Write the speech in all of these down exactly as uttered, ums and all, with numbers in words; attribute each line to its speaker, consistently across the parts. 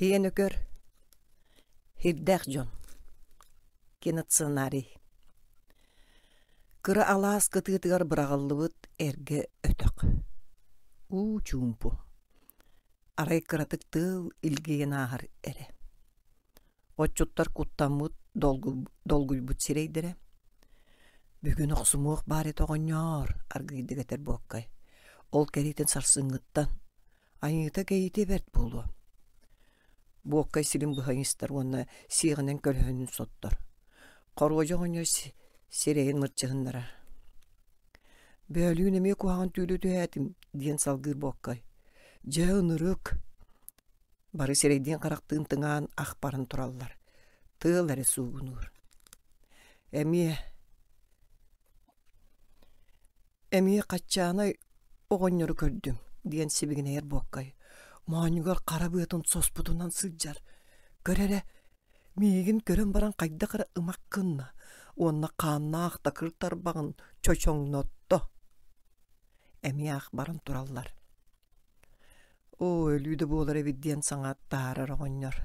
Speaker 1: Һиэн өкөр Һирдээх дьон Киносценарий Кыра алаас кытыытыгар быраҕыллыбыт эргэ өтөх. Уу чуумпу. Арай кыратык тыал илгийэн ааһар эрэ. Отчуттар куттаммыт, долгуйбут сирэйдэрэ. Бүгүн охсумуох баар этэ оҕонньоор, аргыыйдык этэр Буоккай. Ол кэриэтин сарсыҥҥыттан айыыта кэйиитэ бэрт буолуо. Буоккай силин быһа истэр уонна сиэҕинэн көлөһүнүн соттор. Хоруодьа оҕонньор сирэйин мырчыһыннарар. «Бөөлүүн эмиэ куһаҕан түүлү түһээтим» диэн салгыыр Буоккай. «Дьэ ынырык!» Бары сирэйдиин-харахтыын тыҥаан ах баран тураллар. Тыал эрэ суугунуур. Эмиэ Эмиэ хаччаанай оҕонньору көрдүм диэн сибигинэйэр Буоккай. Моонньугар хара быатын соспутунан сылдьар. Көр эрэ, миигин көрөн баран хайдах эрэ ымах гынна уонна хааннаах такыр тарбаҕын чочоҥнотто. Эмиэ ах баран тураллар. Оо, өлүү да буолар эбит диэн саҥа таһаарар оҕонньор.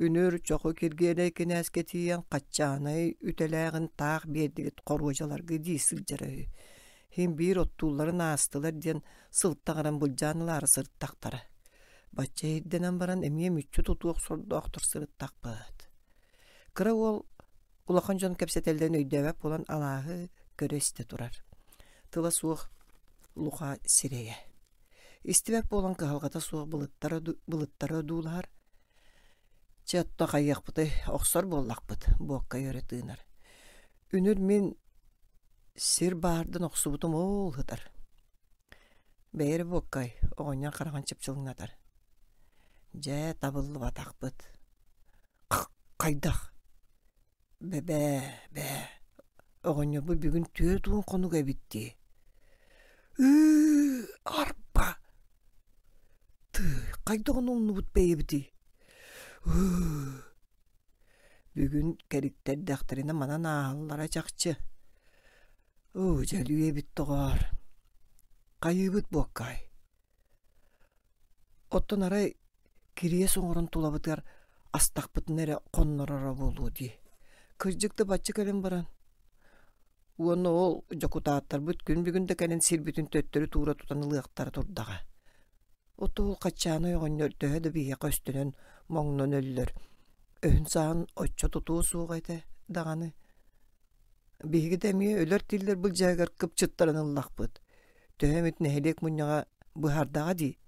Speaker 1: Үнүр Чоху Киргиэлэй кинээскэ тиийэн хаччаанай үтэлээҕин таах биэрдигит хоруодьаларга дии сылдьара үһү. Иһин биир оттуулларын аастылар диэн сылтаҕыран былдьаан ылаары сырыттахтара. Бачча ирдэнэн баран эмиэ мүччү тутуох сордоохтор сырыттахпыт. Кыра уол улахан дьон кэпсэтэллэрин өйдөөбөт буолан алааһы көрө-истэ турар. Тыла суох Луха сирэйэ. Истибэт буолан кыһалҕата суох былыттара, былыттары одуулаһар. Чэ, отто хайыахпытый, охсор буоллахпыт, буокка өрө тыынар. Үнүр мин сир баардан охсубутум ол сытар. Бэйэр буоккай, оҕонньор хараҕын чыпчылыҥнатар. Дьэ, табыллыбатахпыт. Хайдах? Бэбээ, бээ, оҕонньорбут бүгүн түөрт уон хонук эбит дии. Ыы, арба! Тыый, хайдах ону умнубут бэйэбитий? Ыы, бүгүн кэриттэрдэхтэринэ манан ааһаллара чахчы. Оо, дьэ өлүү эбит доҕоор. Хайыыбыт буоккаай? Оттон арай кириэс оҥорон тулабытыгар астахпытына эрэ хоннороро буолуо дии. Кырдьык да бачча кэлэн баран уонна ол дьокутааттарбыт күн бүгүн да кэлэн сирбитин төттөрү туура тутан ылыахтара турдаҕа. Оттон ол Хаччаанай оҕонньор төһө да биһиэхэ өстөнөн моҥнон өллөр, өһүн-сааһын оччо тутуо суоҕа этэ даҕаны. Биһиги да эмиэ өлөр-тиллэр былдьаһыгар кыпчыттаран ыллахпыт. Төһө эмит нэһилиэк мунньаҕа быһаардаҕа дии.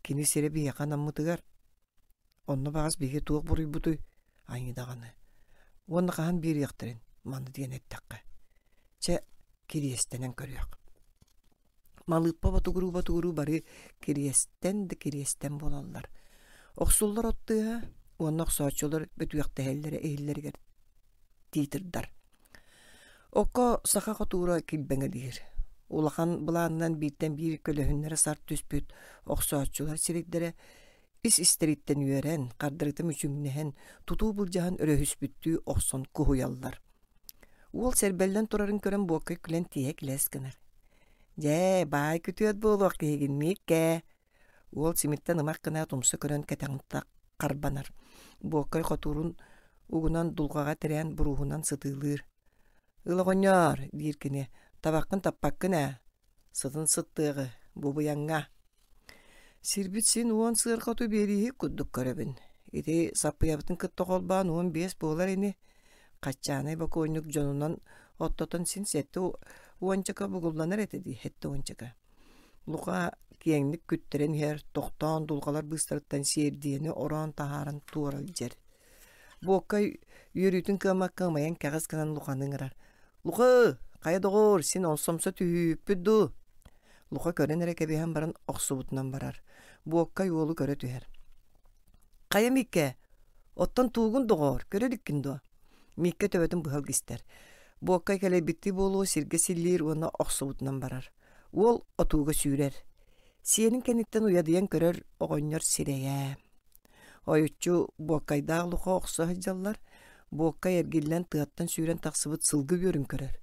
Speaker 1: Кини сирэ биһиэхэ анаммытыгар. Онно баҕас биһиги туох буруйбутуй, айыы даҕаны. Уонна хаһан биэриэхтэрин, маны диэн эттэххэ. Чэ, кириэстэнэн көрүөх. Малыыппа ботугуруу-ботугуруу бары кириэстэн да кириэстэн буолаллар. Охсуллар от тыаһа уонна охсооччулар бөтүөхтэһэллэрэ иһиллэригэр тиитирдар. Окко саха хотуура килбэҥэлиир. Улахан былаанынан бииртэн биир көлөһүннэрэ сарт түспүт охсооччулар сирэйдэрэ ис-истэриттэн үөрэн, хардарыта мүчүҥнэһэн, тутуу былдьаһан өрөһүспүттүү охсон куһуйаллар. Уол сэрбэллэн турарын көрөн Буоккай күлэн тииһэ килэс гынар. «Дьэ, баай күтүөт буолуох киһигин Мииккэ!» Уол симиттэн ымах гына тумса көрөн кэтэҕин харбанар. Буоккай хотуурун угунан дулҕаҕа тирээн буруоһунан сытыылыыр. «Ыл оҕонньоор, диир кини, табаххын таппаккын ээ, сытын сыттыаҕы, бу быйаҥҥа. Сирбит син уон сыарҕа оту биэрииһик курдук көрөбүн. Ити саппыйабытын кытта холбоон уон биэс буолар ини. Хаччаанай бокуонньук дьонунан оттотон син сэттэ уончака бугулланар этэ дии, сэттэ уончака. Луха киэҥник күттэрэн иһэр, тохтоон дулҕалар быыстарыттан сиэрдийэни ороон таһааран туора илдьэр. Буоккай үөрүүтүн кыаммакка ымайан кэҕис гынан Луханы ыҥырар. «Луха, хайа доҕоор, син ол сомсо түһүүппүт дуу?» Луха көрөн эрэ кэбиһэн баран охсубутунан барар. Буоккай уолу көрө түһэр. «Хайа Мииккэ, оттон туугун доҕоор, көрө иликкин дуо?» Мииккэ төбөтүн быһа илгистэр. Буоккай кэлэйбиттии буолуо сиргэ силлиир уонна охсубутунан барар. Уол отууга сүүрэр. Сиэнин кэнниттэн уйадыйан көрөр оҕонньор сирэйэ. Ойуччу Буоккайдаах Луха охсо сылдьаллар. Буоккай эргиллэн тыаттан сүүрэн тахсыбыт сылгы үөрүн көрөр.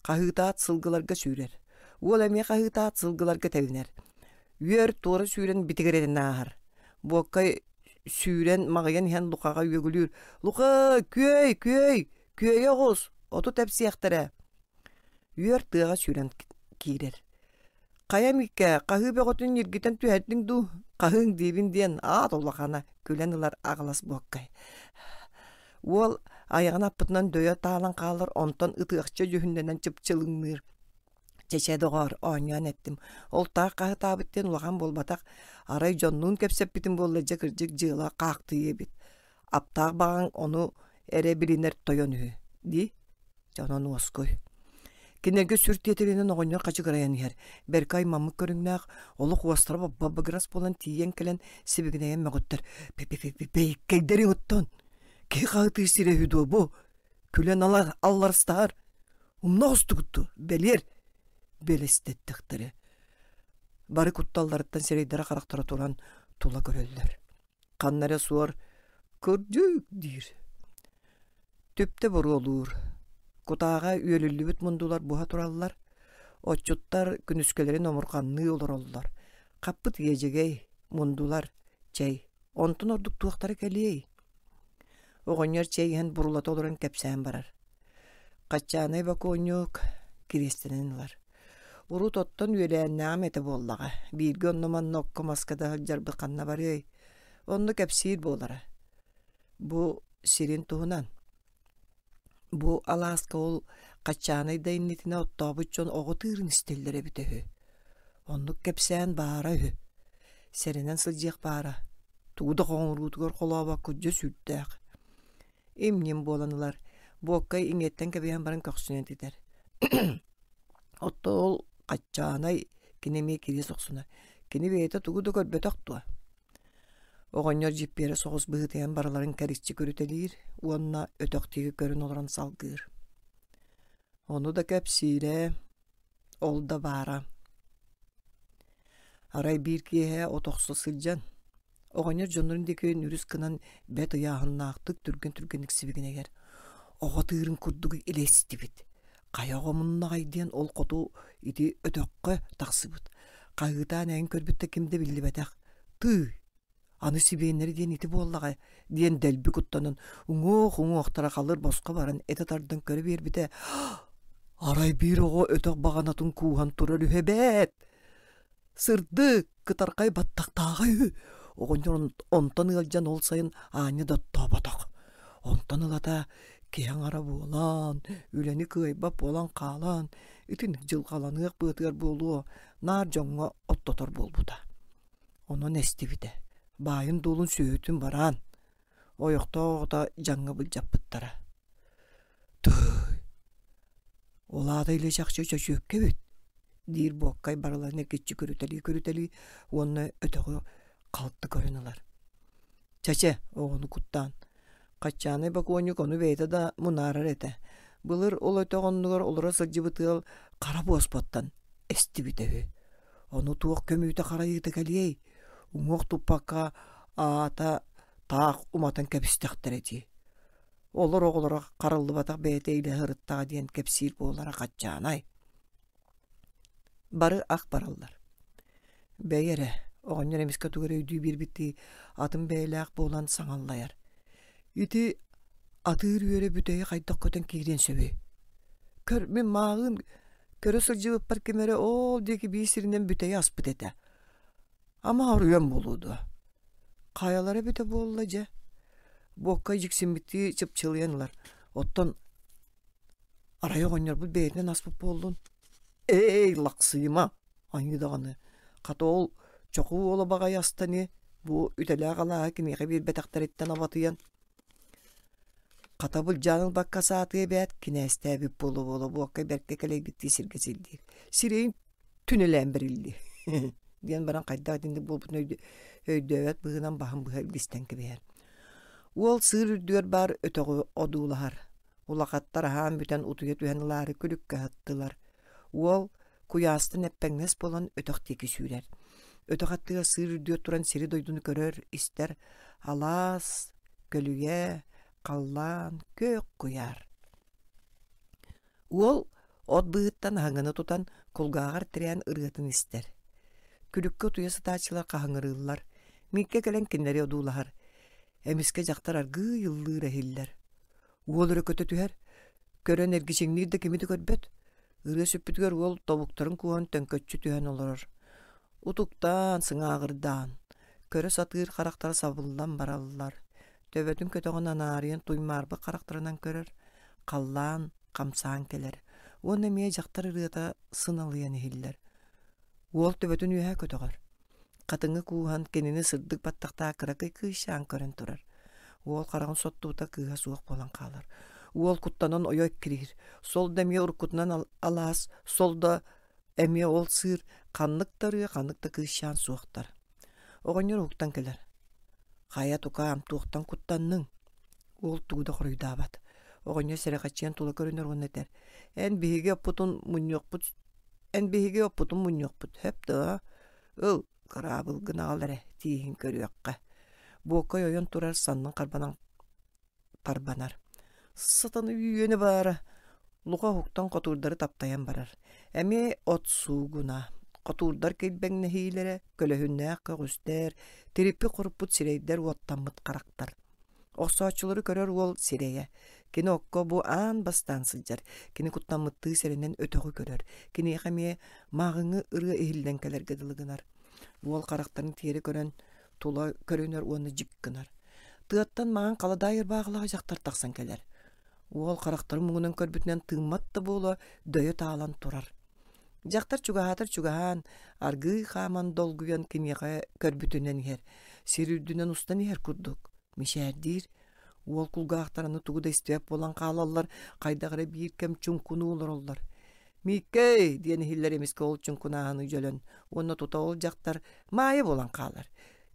Speaker 1: Хаһыытаат сылгыларга сүүрэр. Уол эмиэ хаһыытаат сылгыларга тэбинэр. Үөр туора сүүрэн битигирэтин ааһар. Буоккай Сүүрэн маҕыйан иһэн Лукаҕа үөгүлүүр: «Лука, күөй, күөй, күөйэ оҕус, оту тэпсиэхтэрэ!» Үөр тыаҕа сүүрэн киирэр. «Хайа Миккэ, хаһыы бөҕөтүн ньиргитэн түһэрдиҥ дуу, хаһыыҥ диибин» диэн аат улахана күлэн ылар аҕылас буоккай. Уол айаҕын аппытынан дөйө таалан хаалар, онтон ытыахча дьүһүннэнэн чыпчылыҥныыр. Чэчэ доҕоор, оонньоон эттим. Ол таах хаһытаабыт диэн улахан буолбатах. Арай дьоннуун кэпсэппитим буолла дьэ кырдьык дьыала хаахтыйа эбит. Аптаах баҕаҥ ону эрэ билинэр тойон үһү дии. Дьэ онон уоскуй. Кинилэргэ сүр тиэтэлинэн оҕонньор хачыгырайан иһэр. Бэркэ аймаммыт көрүҥнээх, олох уостара бабыгырас буолан тиийэн кэлэн сибигинэйэн мөҕүттэр. Бэйиккэйдэриҥ оттон! Киһи хаһытыы сирэ үһү дуо бу? Күлэн алар алларыстаһар. Умна оҕустугут бэлиэр бэлэстэттэхтэрэ. Бары кутталларыттан сирэйдэрэ-харахтара туран тула көрөллөр. Ханна эрэ суор «Кырдьык» диир. Түптэ буруолуур. Кутааҕа үөлүллүбүт мундулар буһа тураллар. Отчуттар күнүскэлэрин омурҕанныы олороллор. Хаппыт иэдьэгэй, мундулар, чэй. Онтон ордук туохтара кэлиэй? Оҕонньор чэй иһэн бурулата олорон кэпсээн барар. Хаччаанай бокуонньук кириэстэнэн ылар. Урут оттон үөлээннээҕим этэ буоллаҕа. Бииргэ онно-манна окко-маска да сылдьарбыт ханна барыай? Онно кэпсиир буолара. Бу сирин туһунан. Бу алааска ол Хаччаанай да иннитинэ оттообут дьон оҕо тыырын истэллэр эбитэ үһү. Оннук кэпсээн баара үһү. Сэрэнэн сылдьыах баара. Тугу да хоҥоруутугар холообокко дьэ сүрдээх. Им-ньим буолан ылар. Буоккай иҥиэттэн кэбиһэн баран көхсүнэн этитэр. Оттон ол Хаччаанай кини эмиэ кириэс охсунар. Кини бэйэтэ тугу да көрбөтөх дуо? Оҕонньор дьиппиэрэ соҕус быһыытыйан барыларын кэриччи көрүтэлиир уонна өтөх диэки көрөн олорон салгыыр. Ону да кэпсиирэ, ол да баара. Арай биир киэһэ от охсо сылдьан, оҕонньор дьоннорун диэки нүрүс гынан бэрт ыйааһыннаахтык түргэн-түргэнник сибигинэйэр. Оҕо тыырын курдук илэ истибит. Хайа оҕо муннаҕай диэн ол хоту ити өтөххө тахсыбыт. Хаһыытаан эҥин көрбүт да ким да биллибэтэх. Тыый, аны сибиэннэри диэн ити буоллаҕа диэн дэлби куттанан уҥуох уҥуохтара халыр босхо баран этэ тардан көрө биэрбитэ арай биир оҕо өтөх баҕанатын кууһан турар үһү эбээт сырдык кытархай баттахтааҕа үһү оҕонньор онтон ыалдьан ол сайын аанньа да оттооботох онтон ылата киһи аҥара буолан үлэни кыайбат буолан хаалан итинник дьылҕаланыах быатыгар буолуо наар дьоҥҥо оттотор буолбута онон эстибитэ баайын-дуолун сүөһүтүн бараан ойохтоох оҕото дьаҥҥа былдьаппыттара тыый ол аата илэ чахчы чөчүөккэ эбит диир буоккай барыларын эргиччи көрүтэлии-көрүтэлии уонна өтөҕү халты көрөн ылар чэчэ оҕону куттаан Хаччаанай бокуонньук ону бэйэтэ да мунаарар этэ. Былыр ол өтөх оннугар олоро сылдьыбыт ыал хара буоспаттан эстибитэ үһү. Ону туох көмүүтэ харайыыта кэлиэй? Уҥуох туппакка аата таах уматан кэбистэхтэрэ дии. Олор оҕолоро хараллыбатах бэйэтэ илэ сырыттаҕа диэн кэпсиир буолара Хаччаанай. Бары ах бараллар. Бэйи эрэ, оҕонньор эмискэ тугу эрэ өйдүү биэрбиттии атын бэйэлээх буолан саҥаллайар. Ити атыыр үөрэ бүтэйи хайдах көтөн киириэн сөбүй? Көр, мин мааҕын көрө сылдьыбыппар ким эрэ ол диэки биир сиринэн бүтэйи аспыт этэ. Ама оруйан буолуо дуо? Хайалара эбитэ буолла дьэ? Буокка дьиксиммиттии чыпчылыйан ылар. Оттон арай оҕонньорбут бэйэтинэн аспыт буоллун? Эй, лахсыйыма! Аньыы даҕаны. Хата ол чоху уола баҕайы астани бу үтэлээх алааһы киниэхэ биэрбэтэхтэриттэн абатыйан хата былдьаан ылбакка саатыа эбээт кинээстээбит буола-буола буокка бэркэ кэлэйбиттии сиргэ сирдиир. Сирэйин түнэлээн бэриллиэ диэн баран хайдах итинник буолбутун өйдөөбөт быһыынан баһын быһа илгистэн кэбиһэр. Уол сыыр үрдүгэр баар өтөҕү одуулаһар. Улахаттар аһаан бүтэн утуйа түһэн ылаары күлүккэ аһаттылар. Уол куйаастан эппэҥнэс буолан өтөх диэки сүүрэр. Өтөх аттыгар сыыр үрдүгэр туран сири-дойдуну көрөр, истэр. Алаас, көлүйэ, халлаан, күөх куйаар. Уол от быыһыттан аһыҥаны тутан кулгааҕар тирээн ырыатын истэр. Күлүккэ утуйа сытааччылар хаһыҥырыыллар. Мииккэ кэлэн кинилэри одуулаһар. Эмискэ дьахтар аргыый ыллыыр иһиллэр. Уол өрө көтө түһэр, көрөн эргичиҥниир да кими да көрбөт. Ырыа сүппүтүгэр уол тобуктарын кууһан төҥкөччү түһэн олорор. Утуктаан, сыҥааҕырдаан, көрө сатыыр харахтара сабыллан бараллар. Төбөтүн көтөҕөн анаарыйан туймаарбыт харахтарынан көрөр, халлаан хамсаан кэлэр. Уонна эмиэ дьахтар ырыата сыналыйан иһиллэр. Уол төбөтүн үөһэ көтөҕөр. Хатыҥы кууһан кинини сырдык баттахтаах кыракый кыысчаан көрөн турар. Уол хараҕын соттубута кыыһа суох буолан хаалар. Уол куттанан ойо эккириир. Сол да эмиэ уруккутунан алаас, сол да эмиэ ол сыыр, ханнык да ырыа, ханнык да кыысчаан суохтар. Оҕонньор уһуктан кэлэр. Хайа тукаам, туохтан куттанныҥ? Уол тугу да хоруйдаабат. Оҕонньор сэрэхэччийэн тула көрүнэр уонна этэр: «Эн биһиги оппутун мунньуохпут, эн биһиги оппутун мунньуохпут, сөп дуо? Ыл, кыраабылгын аҕал эрэ, тииһин көрүөххэ». Буоккай ойон турар, саннын харбанан тарбанар. Сатаны үөнэ баара. Луха уһуктан хотуурдары таптайан барар. Эмиэ от суугуна. Хотуурдар килбэҥнэһиилэрэ, көлөһүннээх көҕүстэр, тириппит-хоруппут сирэйдэр уоттаммыт харахтар. Охсооччулары көрөр уол сирэйэ. Кини окко бу аан бастаан сылдьар. Кини куттаммыттыы сэрэнэн өтөҕү көрөр. Киниэхэ эмиэ мааҕыҥҥы ырыа иһиллэн кэлэргэ дылы гынар. Уол харахтарын тиэрэ көрөн, тула көрүнэр уонна дьик гынар. Тыаттан маҥан халадаай ырбаахылаах дьахтар тахсан кэлэр. Уол харахтарын муҥунан көрбүтүнэн тыыммат да буола дөйө таалан турар. Дьахтар чугаһаатар чугаһаан, аргыый хааман долгуйан киниэхэ көрбүтүнэн иһэр. Сир үрдүнэн устан иһэр курдук. Мичээрдиир. Уол кулгаахтар аны тугу да истибэт буолан хаалаллар, хайдах эрэ биир кэм чуҥкунуу олороллор. «Мииккэй!» диэн иһиллэр эмискэ ол чуҥкунааһыны дьөлөн уонна тута ол дьахтар Маайа буолан хаалар.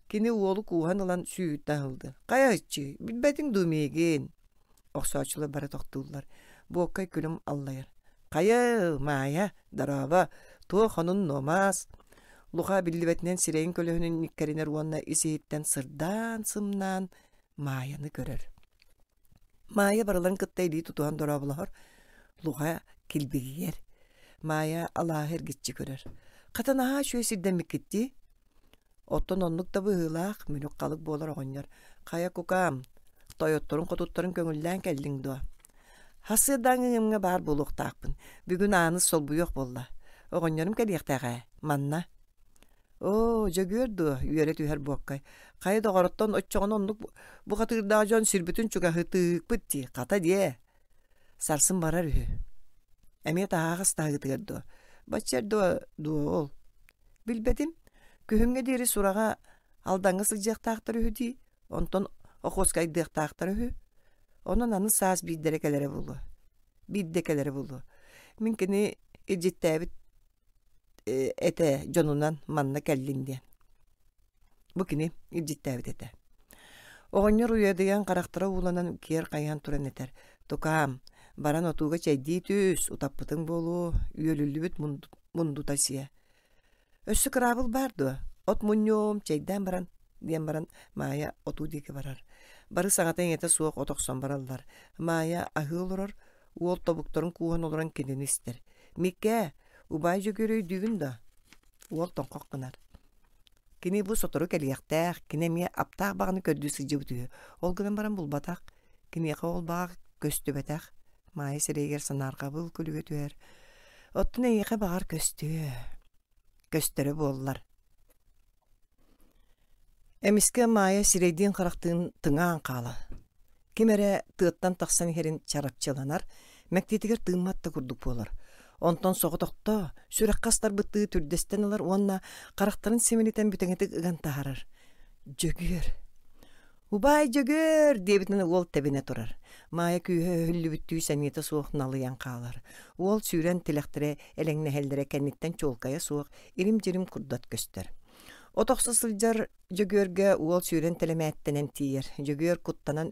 Speaker 1: Кини уолу кууһан ылан сүүһүттэн аһылды. «Хайа ыччыы, билбэтиҥ дуу миигин?» Охсооччулар бары тохтууллар. Буоккай күлүм аллайар. «Хайа, Маайа, дорообо, туох онун нуомаас?» Луха биллибэтинэн сирэйин көлөһүнүн ньиккэринэр уонна ис-иһиттэн сырдаан-сымнаан Маайаны көрөр. Маайа барыларын кытта илии тутуһан дорооболоһор, Луха килбигийэр. Маайа алааһы эргиччи көрөр. «Хата наһаа үчүгэй сирдэммиккит дии?» Оттон оннук да быһыылаах, мүлүк-халык буолар оҕонньор. «Хайа кукаам, тойотторун-хотуттарын көҥүллээн кэллиҥ дуо?» «Сарсыардааҥҥы ыҥырыыга баар буолуохтаахпын. Бүгүн Ааныс солбуйуох буолла. Оҕонньорум кэлиэхтээх ээ, манна». «Оо, Дьөгүөр дуо?» үөрэ түһэр Буоккай. «Хайа доҕороттон оччоҕуна оннук бухатыырдаах дьон сирбитин чугаһытыыкпыт дии, хата диэ». Сарсын барар үһү. Эмиэ таһаҕас таһыытыгар дуо? Бачча дуо дуо ол? Билбэтим. Күһүҥҥэ диэри сураҕа Алдаҥҥа сылдьыахтаахтар үһү дии, онтон Охуоскайдыахтаахтар үһү. Онон аны саас биирдэрэ кэлэрэ буолуо. Биирдэ кэлэрэ буолуо. Мин кини илдьиттээбит этэ дьонунан манна кэллин диэн. Бу кини илдьиттээбит этэ. Оҕонньор уйадыйан харахтара ууланан киэр хайыһан туран этэр: «Тукаам, баран отууга чэйдии түс, утаппытыҥ буолуо, үөлүллүбүт мундута сиэ. Өссө кыраабыл баар дуо? От мунньуом, чэйдээн баран» диэн баран Маайа отуу диэки барар. Бары саҥата-иҥэтэ суох от охсон бараллар. Маайа аһыы олорор, уол тобуктарын кууһан олорон кинини истэр. «Миккээ, убаай Дьөгүөр өйдүүгүн да?» Уол тоҥхох гынар. Кини бу сотору кэлиэхтээх, кини эмиэ аптаах баҕаны көрдүү сылдьыбыт үһү. Ол гынан баран булбатах, киниэхэ ол баҕа көстүбэтэх. Маайа сирэйигэр санаарҕабыл күлүгэ түһэр. Оттон эйиэхэ баҕар көстүө, көстөрө буоллар. Эмискэ Маайа сирэйдиин-харахтыын тыҥаан хаалар. Ким эрэ тыаттан тахсан иһэрин чарапчыланар, мэктиэтигэр тыыммат да курдук буолар. Онтон соҕотохто сүрэххэ астарбыттыы түрдэстэн ылар уонна харахтарын симэлитэн бүтэҥитик ыган таһаарар. Дьөгүөр! «Убаай Дьөгүөр!» диэбитинэн уол тэбинэ турар. Маайа күүһэ өһүллүбүттүү сэниэтэ суох налыйан хаалар. Уол сүүрэн тилэхтэрэ элэҥнэһэллэрэ кэнниттэн чуолкайа суох ирим-дьирим курдат көстөр. От охсо сылдьар Дьөгүөргэ уол сүүрэн тэлэмээттэнэн тиийэр. Дьөгүөр куттанан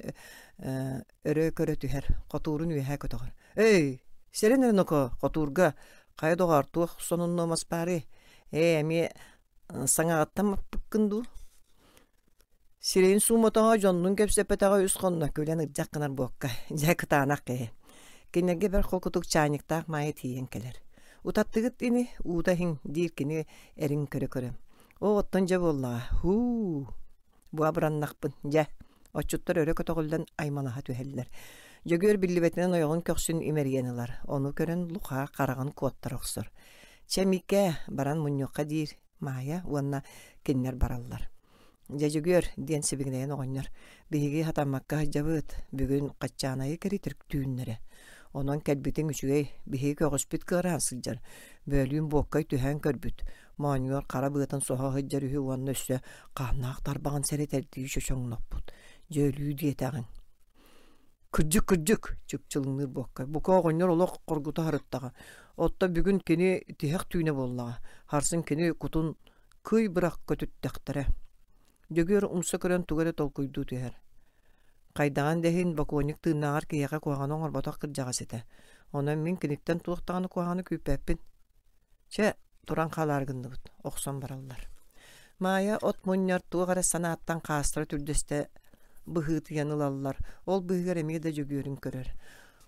Speaker 1: өрө көрө түһэр, хотуурун үөһэ көтөҕөр. «Эй, сэрэн эрэ ноко, хотуурга, хайа доҕоор, туох сонуннуомас баарый? Ээ, эмиэ саҥаҕыттан маппыккын дуу?» Сирэйин суумотоҕо, дьоннуун кэпсэппэтэҕэ үс хонно, күлэн ырдьах гынар буокка. Дьэ, кытаанах киһи. Кинилэргэ бэрт холкутук чаанньыктаах Маайа тиийэн кэлэр. «Утаттыгыт ини, уута иһиҥ» диир кини эрин көрө-көрө. «Оо, оттон дьэ буоллаҕа, һуу, бу абыраннахпын, дьэ, Отчуттар өрө көтөҕүллэн аймалаһа түһэллэр. Дьөгүөр биллибэтинэн ойоҕун көхсүн имэрийэн ылар. Ону көрөн Луха хараҕын куоттара охсор. Чэ, Миикээ, баран мунньуохха диир Маайа уонна кинилэр бараллар. Дьэ, Дьөгүөр, диэн сибигинэйэн оҕонньор, биһиги хатаммакка сылдьабыт, бүгүн Хаччаанайы кэритир түүннэрэ. Онон кэлбитиҥ үчүгэй, биһиги көҕүспүт кыараан сылдьар. Бөөлүүн буоккай түһээн көрбүт. Моонньугар хара быатын соһо сылдьар үһү уонна өссө хааннаах тарбаҕын сэрэтэрдии чочоҥноппут. Дьэ өлүү диэтэҕиҥ. Кырдьык, кырдьык, чыпчылыҥныыр буоккай. Бука оҕонньор олох хоргута сырыттаҕа. Оттон бүгүн кини тиһэх түүнэ буоллаҕа. Харсын кини кутун кый бырах көтүттэхтэрэ. Дьөгүөр умса көрөн тугу эрэ толкуйдуу түһэр. Хайдаҕын да иһин бокуонньук тыыннааҕар киһиэхэ куһаҕаны оҥорботох кырдьаҕас этэ. Онон мин киниттэн туох даҕаны куһаҕаны күүппэппин. Чэ, туран хаалаары гынныбыт, охсон бараллар. Маайа от мунньар туох эрэ санааттан хаастара түрдэстэ быһыытыйан ылаллар. Ол быыһыгар эмиэ да Дьөгүөрүн көрөр.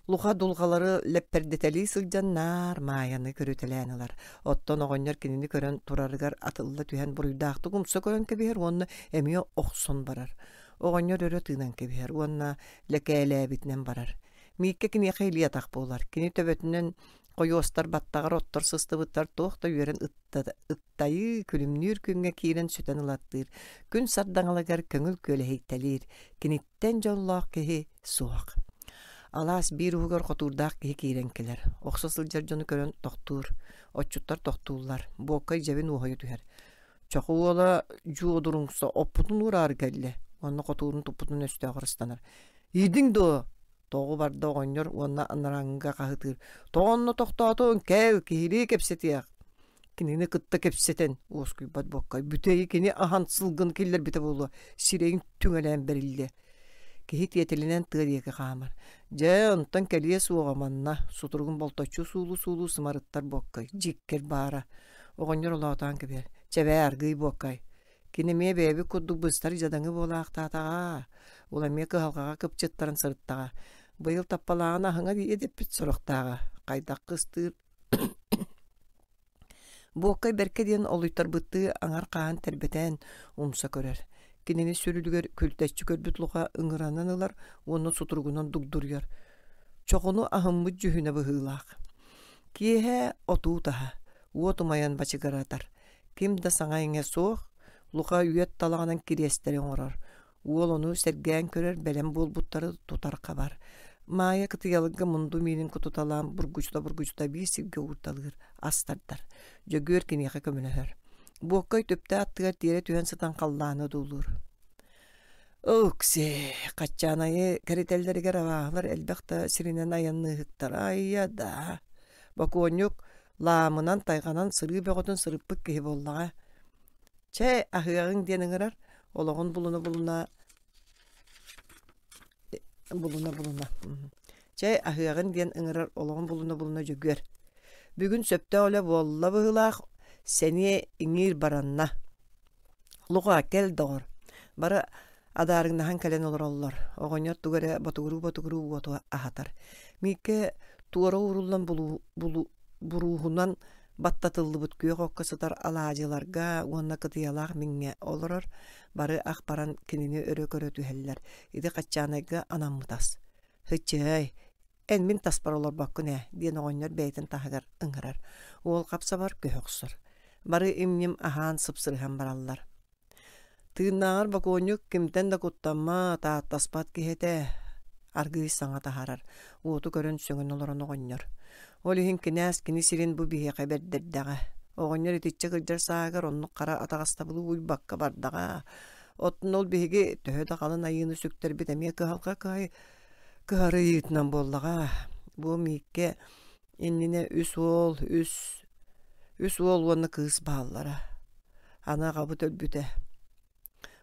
Speaker 1: Луха дулҕалары лэппэрдэтэлии сылдьан наар Маайаны көрүтэлээн ылар. Оттон оҕонньор кинини көрөн турарыгар атылла түһэн буруйдаахтык умса көрөн кэбиһэр уонна эмиэ охсон барар. Оҕонньор өрө тыынан кэбиһэр уонна лэкээлээбитинэн барар. Мииккэ киниэхэ илии-атах буолар. Кини төбөтүнэн хойуостар баттаҕар оттор сыстыбыттар туох да үөрэн ыттайыы күлүмнүүр күҥҥэ киирэн сүтэн ылаттыыр. Күн сардаҥалыгар көҥүл күөлэһийтэлиир. Киниттэн дьоллоох киһи суох. Алаас биир уһугар хотуурдаах киһи киирэн кэлэр. Охсо сылдьар дьону көрөн тохтуур. Отчуттар тохтууллар. Буоккай дьэбин уоһуйа түһэр. Чоху уола дьуодуруҥса оппутун уураары кэллэ. Онно хотуурун туппутун өстөөҕөр ыстанар. Иидиҥ дуо? Тоҕу барда оҕонньор уонна анарааҥҥыга хаһытыыр. Тоҕо онно тохтоотуҥ? Кэл, киһилии кэпсэтиэх. Кинини кытта кэпсэтэн уоскуйбат буоккай. Бүтэйи кини аһан сылгын киллэрбитэ буолуо. Сирэйин түҥэлээн бэриллиэ. Киһи тиэтэлинэн тыа диэки хаамар. Дьэ, онтон кэлиэ суоҕа манна. Сутуругун болточчу суулуу-суулуу сымарыттар буоккай. Дьиккэр баара. Оҕонньор олоотоон кэбиһэр. Чэбээ, аргыый буоккай. Кини эмиэ бэйэбит курдук быстар дьадаҥы буолаахтаатаҕа. Ол эмиэ кыһалҕаҕа кыпчыттаран сырыттаҕа. Быйыл таппалааҕын аһыҥа дэппит сорохтааҕа. Хайдах кыстыыр Буоккай бэркэ диэн олуйтарбыттыы аҥар хаһан тэрбэтэн умса көрөр. Кинини сүрүлүгэр күлтэччи көрбүт Луха ыҥыранан ылар уонна сутуругунан дугдуруйар. Чоҕуну аһыммыт дьүһүнэ быһыылаах. Киэһэ отуу таһа, уот умайан бачыгыратар. Ким да саҥа-иҥэ суох, Луха үөт талаҕынан кириэстэри оҥорор. Уол ону сэргээн көрөр, бэлэм буолбуттары тутар хабар. Маайа кытыйаларга мунду миинин кутуталаан бургучута-бургучута биир сиргэ уурталыыр, ас тардар. Дьөгүөр киниэхэ көмөлөһөр. Буоккай түптэ аттыгар тиэрэ түһэн сытан халлааны одуулуур. Ыксе, Хаччаанайы кэритэллэригэр абааһылар элбэх да сиринэн айанныыһыктара айа да. Бокуонньук лаамынан тайҕанан сырыы бөҕөтүн сырыппыт киһи буоллаҕа. Чэ, аһыаҕыҥ диэн ыҥырар, олоҕун булуна-булуна булуна-булуна. Чэ, аһыаҕын диэн ыҥырар, олоҕун булуна-булуна Дьөгүөр. Бүгүн сөптөөх үлэ буолла быһыылаах, сэниэ иҥиир баранна. Луха, кэл доҕор. Бары адаарыҥнаһан кэлэн олороллор. Оҕонньор тугу эрэ ботугуруу-ботугуруу уоту аһатар. Мииккэ туора ууруллан булу, булу, бурууһунан баттатыллыбыт күөх окко сытар алаадьыларга уонна кытыйалаах миҥҥэ олорор. Бары ах баран кинини өрө көрө түһэллэр. Ити Хаччаанайга анаммыт ас. Һыччыай, эн мин таспар олорбоккун ээ, диэн оҕонньор бэйэтин таһыгар ыҥырар. Уол хапсабар көһө охсор. Бары им-ньим аһаан сыпсырыһан бараллар. Тыыннааҕар бокуонньук кимтэн да куттаммат, ааттаспат киһи этэ. Аргыый саҥа таһаарар, уоту көрөн сөҥөн олорон оҕонньор. Ол иһин кинээс кини сирин бу биһиэхэ бэрдэрдэҕэ. Оҕонньор итиччэ кырдьар сааһыгар оннук хара атаҕастабылы уйбакка бардаҕа. Оттон ол биһиги төһө да халын айыыны сүктэрбит эмиэ кыһалҕа кыһай кыһарыйыытынан буоллаҕа. Бу Мииккэ иннинэ үс уол, үс үс уол уонна кыыс бааллара. Аны аҕабыт өлбүтэ.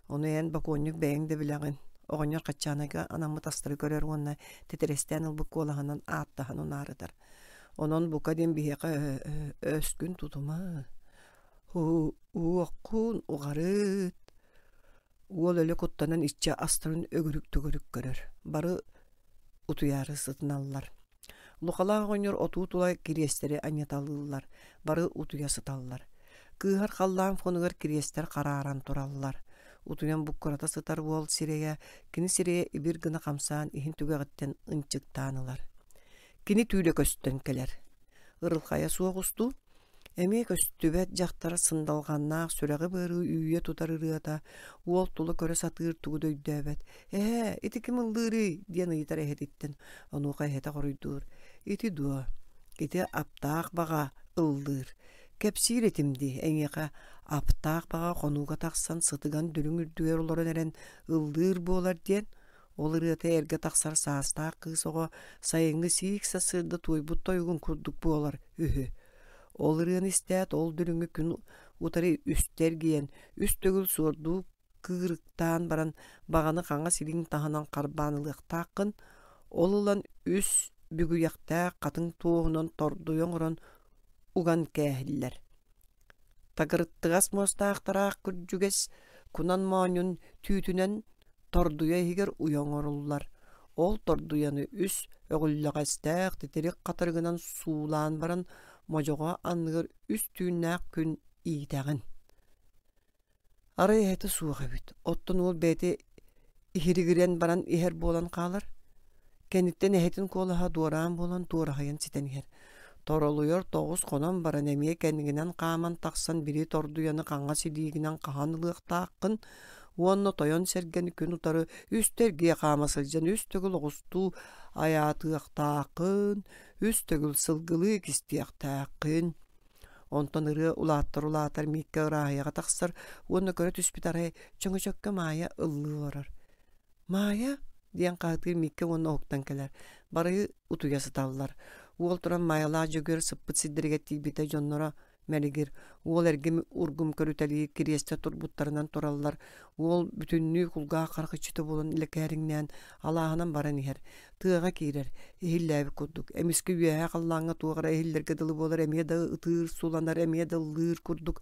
Speaker 1: Ону эн бокуонньук бэйэҥ да билэҕин. Оҕонньор Хаччаанайга анаммыт астары көрөр уонна титирэстээн ылбыт куолаһынан ааттаһан унаарытар. Онон бука диэн биһиэхэ өскүн тутума, уоххун уҕарыт. Уол өлө куттанан иччэ астарын өгүрүк-төгүрүк көрөр. Бары утуйаары сытыналлар. Лухалаах оҕонньор отуу тула кириэстэри анньыталыыллар. Бары утуйа сыталлар. Кыыһар халлаан фонугар кириэстэр харааран тураллар. Утуйан буккурата сытар уол сирэйэ, кини сирэйэ ибир гына хамсаан иһин түгэҕиттэн ынчыктаан ылар. Кини түүлэ көстөн кэлэр. Ырылхайа суох устуу, эмиэ көстүбэт дьахтар сындалҕаннаах сүрэҕи-быары үүйэ тутар ырыата, уол тула көрө сатыыр тугу да өйдөөбөт. «Эһээ, ити ким ыллыырый?» диэн ыйытар эһэтиттэн. Онуоха эһэтэ хоруйдуур: «Ити дуо? Ити аптаах баҕа ыллыыр. Кэпсиир этим дии, эйиэхэ аптаах баҕа хонууга тахсан сытыган дүлүҥ үрдүгэр олорон эрэн ыллыыр буолар диэн. Ол ырыата эргэ тахсар саастаах кыыс оҕо сайыҥҥы сиик сарсыарда туойбут тойугун курдук буолар үһү. Ол ырыаны истээт, ол дүлүҥү күн утары үстэ эргийэн, үс төгүл суордуу кыырыктаан баран баҕаны хаҥас илииҥ таһынан харбаан ылыахтааххын, ол ылан үс бүгүйэхтээх хатыҥ туоһунан тордуйа оҥорон уган кээһиллэр. Такырыттыгас муостаахтараах күрдьүгэс кунан моонньун түүтүнэн тордуйа иһигэр уйа оҥоруллар. Ол тордуйаны үс өҕүллэҕэстээх титирик хатырыгынан суулаан баран модьоҕо анныгар үс түүннээх күн иитэҕин. Арай эһэтэ суох эбит. Оттон уол бэйэтэ иһиригирэн баран иһэр буолан хаалар. Кэнниттэн эһэтин куолаһа дуораан буолан туораһыйан ситэн иһэр. Торолуйар тоҕус хонон баран эмиэ кэннигинэн хааман тахсан били тордуйаны хаҥас илиигинэн хаһан ылыахтааххын уонна тойон сэргэни күн утары үстэ эргийэ хаама сылдьан үс төгүл оҕустуу айаатыахтааххын, үс төгүл сылгылыы кистиэхтээххин. Онтон ырыа улааттар улаатар Мииккэ ырааһыйаҕа тахсар уонна көрө түспүт арай чөҥөчөккө Маайа ыллыы олорор. «Маайа?» диэн хаһытыыр Мииккэ уонна уһуктан кэлэр. Бары утуйа сыталлар. Уол туран Маайалаах Дьөгүөр сыппыт сирдэригэр тиийбитэ дьонноро мэлигир. Уол эргим ургум көрүтэлии кириэстэ турбуттарынан тураллар. Уол бүтүннүү кулгаах харах иччитэ буолан лэкээриҥнээн алааһынан баран иһэр. Тыаҕа киирэр, иһиллээбит курдук. Эмискэ үөһээ халлааҥҥа туох эрэ иһиллэргэ дылы буолар, эмиэ да ытыыр, суланар, эмиэ да ыллыыр курдук.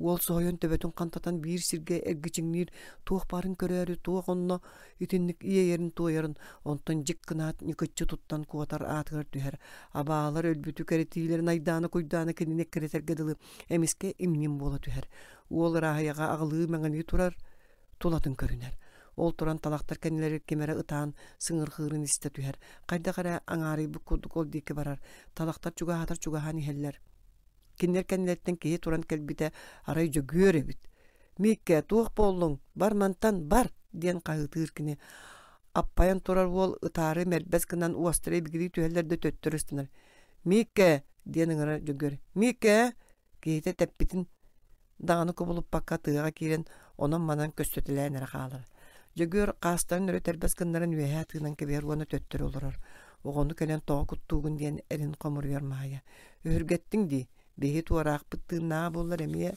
Speaker 1: Уол соһуйан төбөтүн хантатан биир сиргэ эргичиҥниир, туох баарын көрөөрү, туох онно итинник иэйэрин-туойарын, онтон дьик гынаат ньыкыччы туттан куотар аатыгар түһэр. Абаалар өлбүтү кэрэтиилэрин айдаана-куйдаана кинини эккирэтэргэ дылы эмискэ имним буола түһэр. Уол ырааһыйаҕа аҕылыы-мэҥилии турар, тулатын көрүнэр. Ол туран талахтар кэннилэригэр ким эрэ ытаан сыҥырҕыырын истэ түһэр. Хайдах эрэ аҥаарыйбыт курдук ол диэки барар. Талахтар чугаһаатар чугаһаан иһэллэр. Кинилэр кэннилэриттэн киһи туран кэлбитэ арай Дьөгүөр эбит. «Мииккэ, туох буоллуҥ? Бар мантан, бар!» диэн хаһыытыыр кини. Аппайан турар уол ытаары мэрбэс гынан уостара ибигирии түһэллэр да төттөрү ыстанар. «Мииккэ!» диэн ыҥырар Дьөгүөр. «Мииккэ!» Киһитэ тэппитин даҕаны кубулуппакка тыаҕа киирэн онон-манан көстүтэлээн эрэ хаалар. Дьөгүөр хаастарын өрө тэрбэс гыннаран үөһээ тыынан кэбиһэр уонна төттөрү олорор. Оҕону кэлэн тоҕо куттуугун диэн эрин хомуруйар Маайа. «Өһүргэттиҥ дии, биһи туораахпыт тыыннааҕа буоллар эмиэ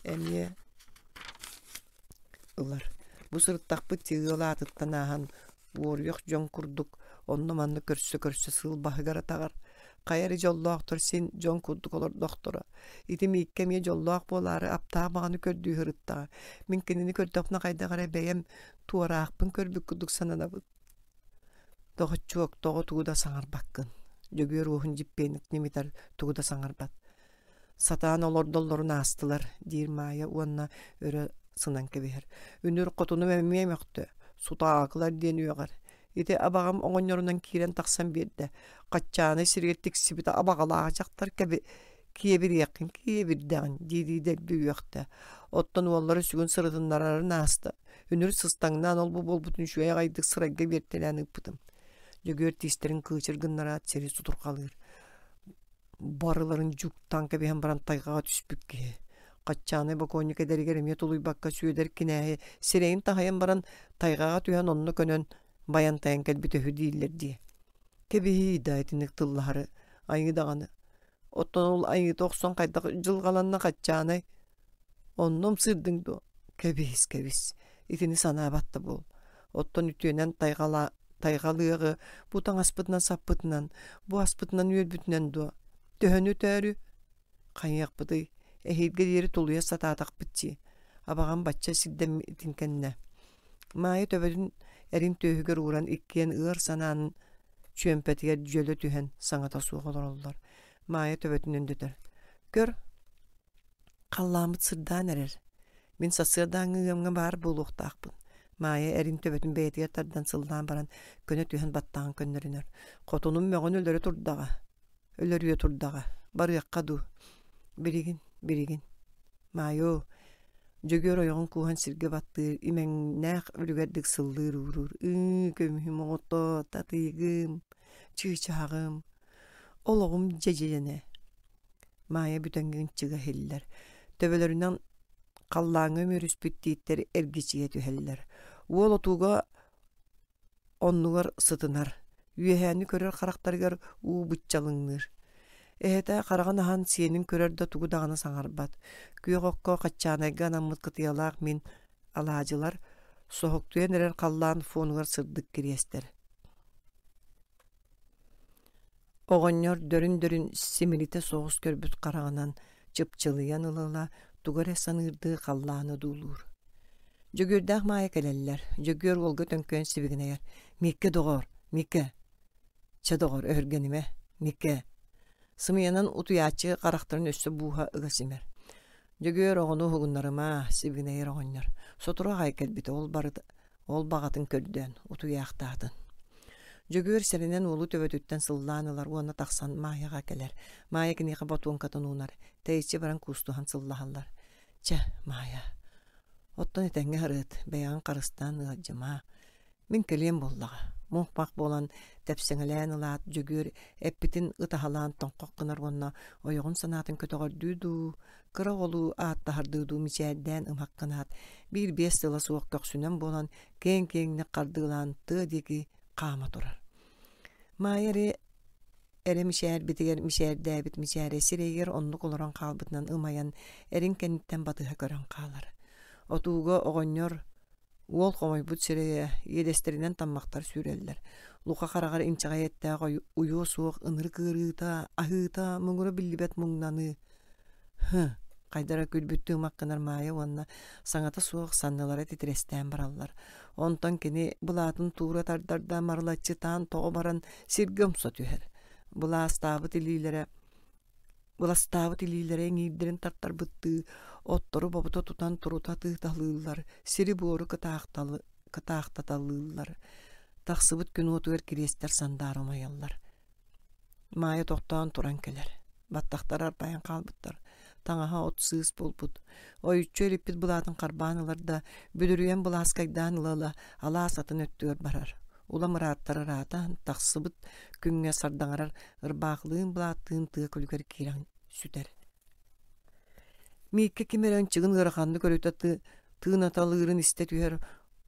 Speaker 1: эмиэ ылар. Бу сырыттахпыт ыал аатыттан ааһан уоруйах дьон курдук онно-манна көрсө-көрсө сыл баһыгар атаҕар. Хайа эрэ дьоллоохтор син дьон курдук олордохторо. Ити Мииккэ эмиэ дьоллоох буолаары аптаах баҕаны көрдүү сырыттаҕа. Мин кинини көрдөхпүнэ хайдах эрэ бэйэм туораахпын көрбүт курдук сананабын. Доҕоччуок, тоҕо тугу да саҥарбаккын. Дьөгүөр уоһун дьиппиэнник ньимитэр, тугу да саҥарбат. Сатаан олордоллорун аастылар, диир Маайа уонна өрө сынан кэбиһэр. Үнүр хотунум эмиэ мөхтө, сутаакылар диэн үөҕэр. Ити абаҕам оҕонньорунан киирэн тахсан биэрдэ. Хаччааны сиригэр тиксибитэ абаҕалаах дьахтар кэби киэбириэххин киэбирдэҕин дии-дии дэлби үөхтэ. Оттон уоллара сүгүн сырытыннарарын ааста. Үнүр сыстаҥнаан ол-бу буолбутун үчүгэй аҕайдык сырайга биэртэлээн ыыппытым. Дьөгүөр тиистэрин кыычыр гыннараат сири сутурҕалыыр. Барыларын дьуктаан кэбиһэн баран тайҕаҕа түспүт киһи. Хаччаанай бокуонньук эдэригэр эмиэ тулуйбакка Сүөдэр кинээһи сирэйин таһыйан баран тайҕаҕа түһэн онно көнөн байан-тайан кэлбит үһү дииллэр дии. Кэбиһии да итинник тыллаһары, айыы даҕаны. Оттон ол айыыта охсон хайдах дьылҕаланна Хаччаанай? Онно ымсыырдыҥ дуо? Кэбиһис, кэбис. Итини санаабат да буол. Оттон үтүөнэн тайҕала тайҕалыаҕы бу таҥаспытынан-саппытынан, бу аспытынан-үөлбүтүнэн дуо? Төһөнү өтөөрү? Хайыахпытый, эһиилгэ диэри тулуйа сатаатахпыт дии. Абаҕам бачча сирдэммитин кэннэ. Маайа төбөтүн эрин түөһүгэр ууран иккиэн ыар санаанын чүөмпэтигэр дьөлө түһэн саҥата суох олороллор. Маайа төбөтүн өндөтөр. Көр, халлааммыт сырдаан эрэр. Мин сарсыардааҥҥы ыамҥа баар буолуохтаахпын. Маайа эрин төбөтүн бэйэтигэр тардан сыллаан баран көнө түһэн баттаҕын көннөрүнэр. Хотунум мөҕөн өлөрө турдаҕа. Өлөрүө турдаҕа. Барыахха дуу. Билигин, билигин. Маайоо, Дьөгүөр ойоҕун кууһан сиргэ баттыыр, имэҥнээх үлүгэрдик сыллыыр ууруур. Ыы, көмүһүм оҕото, татыйыгым, чыычааҕым, олоҕум дьэдьэнэ. Маайа бүтэҥҥин чыга иһиллэр. Төбөлөрүнэн халлааҥҥа үмүөрүспүт тииттэр эргичийэ түһэллэр. Уол отууга оннугар сытынар, үөһээни көрөр харахтарыгар уу быччалыҥныыр. Эһэтэ хараҕын аһан сиэнин көрөр да тугу даҕаны саҥарбат. Күөх окко хаччаанайга анаммыт кытыйалаах мин алаадьылар соһуктуйан эрэр халлаан фонугар сырдык кириэстэр. Оҕонньор дөрүн-дөрүн симилитэ соҕус көрбүт хараҕынан чыпчылыйан ыла-ыла тугу эрэ саныырдыы халлааны одуулуур. Дьөгүөрдээх Маайа кэлэллэр. Дьөгүөр уолга төҥкөйөн сибигинэйэр: «Мииккэ доҕоор, Мииккэ! Чэ доҕор, өһүргэнимэ, Мииккэ!» Сымыйанан утуйааччы харахтарын өссө бууһа ыга симэр. Дьөгүөр оҕону уһугуннарыма, сибигинэйэр оҕонньор. Сотору аҕай кэлбитэ, ол барыта ол баҕатын көрдөөн, утуйаахтаатын. Дьөгүөр сэрэнэн уолу төбөтүттэн сыллаан ылар уонна тахсан Маайаҕа кэлэр. Маайа киниэхэ ботуоҥкатын уунар, тэйиччи баран куустуһан сыллаһаллар. Чэ, Маайа, оттон этэҥҥэ сырыт, бэйэҕин харыстаан ыалдьыма. Мин кэлиэм буоллаҕа. Муҥ-мах буолан тэпсэҥэлээн ылаат, Дьөгүөр эппитин ытаһалаан тоҥхох гынар уонна ойоҕун санаатын көтөҕөрдүү дуу, кыра оҕолуу ааттаһардыы дуу мичээрдээн ымах гынаат, биир-биэс тыла суох көхсүнэн буолан киэҥ-киэҥник хардыылаан тыа диэки хаама турар. Маайа эрэ эрэ мичээрбитигэр мичээрдээбит мичээрэ сирэйигэр оннук олорон хаалбытынан ымайан эрин кэнниттэн батыһа көрөн хаалар. Отууга оҕонньор уол хомойбут сирэйэ иэдэстэринэн таммахтар сүүрэллэр. Луха хараҕар инчэҕэй эттээх уйуо суох ынырык ыарыыта, аһыыта, муҥура биллибэт муҥнаныы. Һы, хайдара күлбүттүү ымах гынар Маайа уонна саҥата суох саннылара титирэстээн бараллар. Онтон кини былаатын туура тардар да марылаччытаан тоҕо баран сиргэ умса түһэр. Былаастаабыт илиилэрэ быластаабыт илиилэрэ иҥиирдэрин тартарбыттыы оттору бобута тутан турута тыыталыыллар, сири-буору кытаахтаталыыллар. Тахсыбыт күн уотугар кириэстэр сандаара умайаллар. Маайа тохтоон туран кэлэр. Баттахтара арбайан хаалбыттар. Таҥаһа от сыыс буолбут. Ойуччу эриппит былаатын харбаан ылар да, бүдүрүйэн былааскайдаан ыла-ыла алаас атын өттүгэр барар. Улам ырааттар ыраатан, тахсыбыт күҥҥэ сардаҥарар ырбаахылыын былааттыын тыа күлүгэр киирэн сүтэр. Мииккэ ким эрэ ынчыгын ыараханнык өрүтэ ты, тыынаталыырын истэ түһэр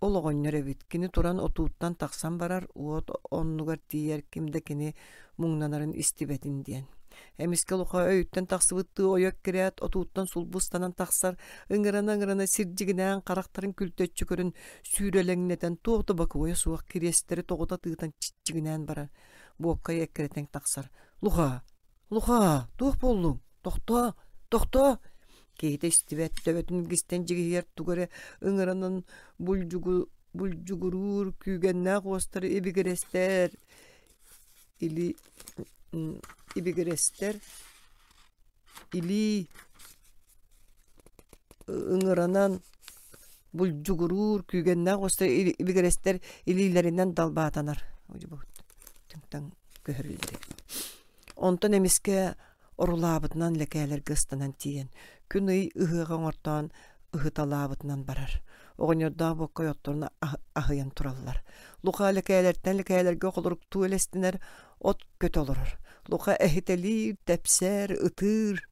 Speaker 1: ол оҕонньор эбит. Кини туран отууттан тахсан барар, уот оннугар тиийэр ким да кини муҥнанарын истибэтин диэн. Эмискэ Луха өйүттэн тахсыбыттыы ойо эккирээт, отууттан сулбустанан тахсар, ыҥырана-ыҥырана сирдьигинээн харахтарын күлтэччи көрөн сүүрэлэҥнэтэн туох да бокуойа суох кириэстэри тоҕута тыытан чиччигинээн барар. Буоккай эккирэтэн тахсар. «Луха! Луха! Туох буоллуҥ? Тохтоо! Тохтоо!» Киһитэ истибэт, төбөтүн илгистэн дьигиһийэр тугу эрэ ыҥыранан булдьугу, булдьугуруур күүгэннээх уостары ибигирэстэр или ибигирэстэр илии ыҥыранан булдьугуруур күүгэннээх уостар ибигирэстэр илиилэринэн далбаатанар көһөрүллэр Онтон эмискэ орулаабытынан лэкээлэргэ ыстанан тиийэн, күн-ый ыһыаҕа оҥортоон ыһыталаабытынан барар. Оҕонньордоох боккой отторун аһыйан тураллар. Луха лэкээлэртэн лэкээлэргэ холоруктуу элэстэнэр, от көтө олорор. Луха эһитэлиир, тэпсэр, ытыыр.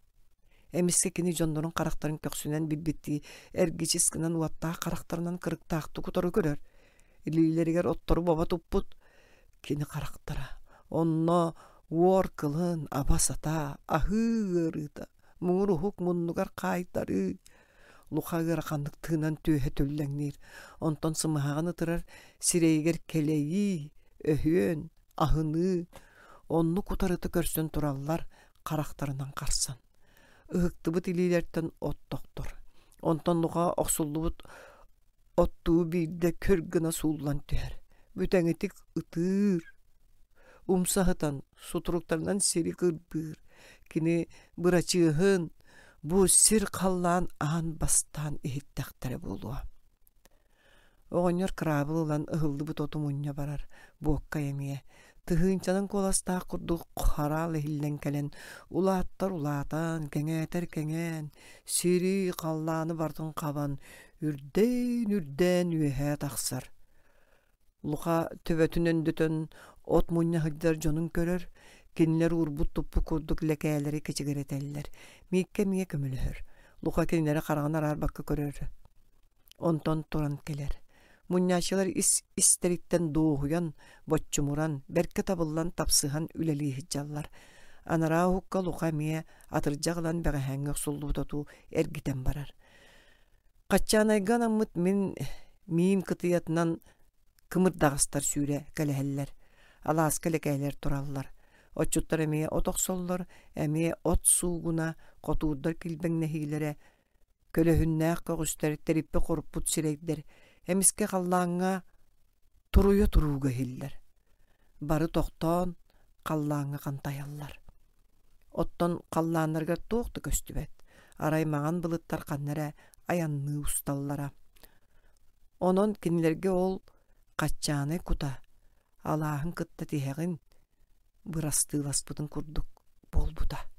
Speaker 1: Эмискэ кини дьоннорун харахтарын көхсүнэн билбиттии эргичис гынан уоттаах харахтарынан кырыктаахтык утары көрөр. Илиилэригэр оттору бобо туппут кини харахтара. Онно уор кылын, аба-сата, аһыы ыарыыта, муҥур уһук муннугар хаайтарыы. Луха ыараханнык тыынан түөһэ түллэҥниир, онтон сымыһаҕын ытырар сирэйигэр кэлэйии, өһүөн, аһыныы, оннук утарыта көрсөн тураллар харахтарынан харсан. Ыһыктыбыт илиилэртэн от тохтор. Онтон Луха охсуллубут оттуу биирдэ көр гына сууллан түһэр. Бүтэҥитик ытыыр, умса сытан сутуруктарынан сири кырбыыр. Кини бырачыаһын, Бу сир халлаан аан бастаан иһиттэхтэрэ буолуо. Оҕонньор кыраабыл ылан ыһыллыбыт оту мунньа барар, буоккай эмиэ. Тыһыынчанан куоластаах курдук хараал иһиллэн кэлэн, улааттар улаатан, кэҥээтэр кэҥээн, сири, халлааны барытын хабан, үрдээн-үрдээн үөһээ тахсар. Луха төбөтүн өндөтөн от мунньа сылдьар дьонун көрөр, кинилэр уурбут-туппут курдук лэкээлэри кэчигирэтэллэр. Мииккэ эмиэ көмөлөһөр. Луха кинилэри хараҕын араарбакка көрөр. Онтон туран кэлэр. Мунньааччылар ис истэриттэн дуоһуйан, боччумуран, бэркэ табыллан тапсыһан үлэлии сылдьаллар. Анараа уһукка Луха эмиэ атырдьах ылан бэҕэһээҥҥи охсуллубут оту эргитэн барар. Хаччаанайга анаммыт мин миин кытыйатынан кымырдаҕастар сүүрэ кэлэһэллэр. Алааска лэкээлэр тураллар. Отчуттар эмиэ от охсоллор, эмиэ от суугуна, хотуурдар килбэҥнэһиилэрэ, көлөһүннээх көҕүстэр, тэриппэ хоруппут сирэйдэр эмискэ халлааҥҥа туруйа турууга иһиллэр. Бары тохтоон халлааҥҥа хантайаллар. Оттон халлааннарыгар туох да көстүбэт. Арай маҥан былыттар ханна эрэ айанныы усталлара. Онон кинилэргэ ол хаччаанай кута алааһын кытта тиһэҕин бырастыыласпытын курдук буолбута.